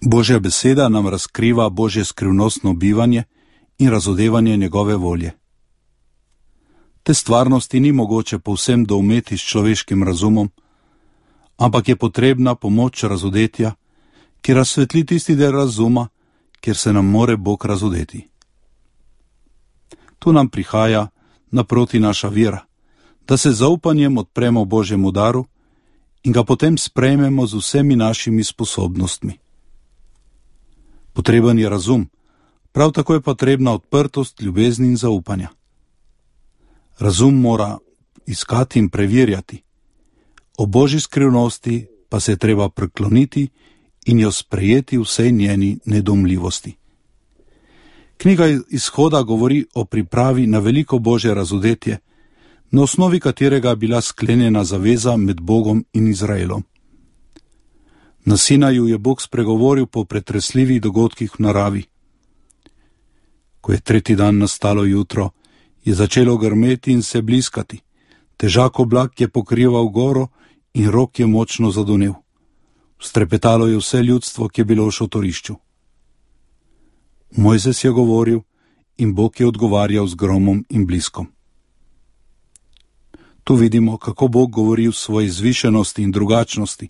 Božja beseda nam razkriva Božje skrivnostno bivanje in razodevanje njegove volje. Te stvarnosti ni mogoče povsem doumeti s človeškim razumom, ampak je potrebna pomoč razodetja, ki razsvetli tisti del razuma, kjer se nam more Bog razodeti. Tu nam prihaja naproti naša vera, da se zaupanjem odpremo Božjemu daru in ga potem sprejmemo z vsemi našimi sposobnostmi. Potreben je razum, prav tako je potrebna odprtost, ljubezni in zaupanja. Razum mora iskati in preverjati, o Božji skrivnosti pa se je treba prekloniti in jo sprejeti vsej njeni nedomljivosti. Knjiga Izhoda govori o pripravi na veliko Božje razodetje, na osnovi katerega je bila sklenjena zaveza med Bogom in Izraelom. Na Sinaju je Bog spregovoril po pretresljivih dogodkih v naravi. Ko je tretji dan nastalo jutro, je začelo grmeti in se bliskati. Težak oblak je pokrival goro in rok je močno zadonel. Strepetalo je vse ljudstvo, ki je bilo v šotorišču. Mojzes je govoril in Bog je odgovarjal z gromom in bliskom. Tu vidimo, kako Bog govori v svoji zvišenosti in drugačnosti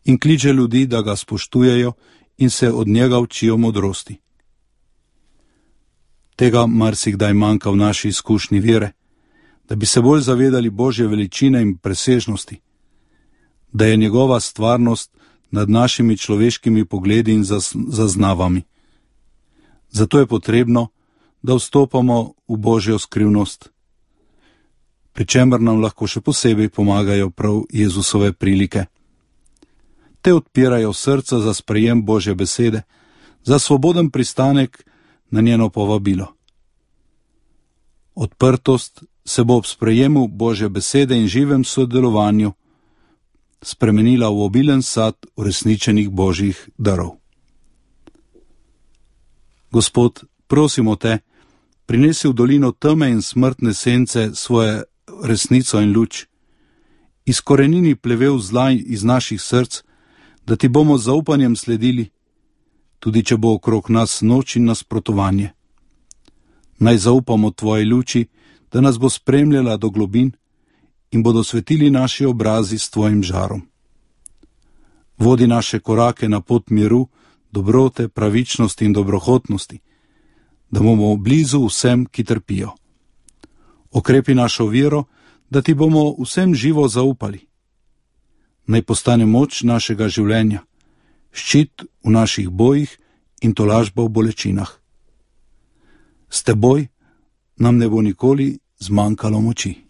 in kliče ljudi, da ga spoštujejo in se od njega učijo modrosti. Tega marsikdaj manjka v naši izkušnji vere, da bi se bolj zavedali Božje veličine in presežnosti, da je njegova stvarnost nad našimi človeškimi pogledi in zaznavami. Zato je potrebno, da vstopamo v Božjo skrivnost, pri čemer nam lahko še posebej pomagajo prav Jezusove prilike. Te odpirajo srca za sprejem Božje besede, za svoboden pristanek na njeno povabilo. Odprtost se bo ob sprejemu Božje besede in živem sodelovanju spremenila v obilen sad uresničenih Božjih darov. Gospod, prosimo te, prinesi v dolino teme in smrtne sence svoje resnico in luč. Izkorenini plevel zla iz naših src, da ti bomo z zaupanjem sledili, tudi če bo okrog nas noč in nasprotovanje. Naj zaupamo tvoji luči, da nas bo spremljala do globin in bodo svetili naši obrazi s tvojim žarom. Vodi naše korake na pot miru, dobrote, pravičnosti in dobrohotnosti, da bomo blizu vsem, ki trpijo. Okrepi našo vero, da ti bomo vsem živo zaupali. Naj postane moč našega življenja, ščit v naših bojih in tolažba v bolečinah. S teboj nam ne bo nikoli zmanjkalo moči.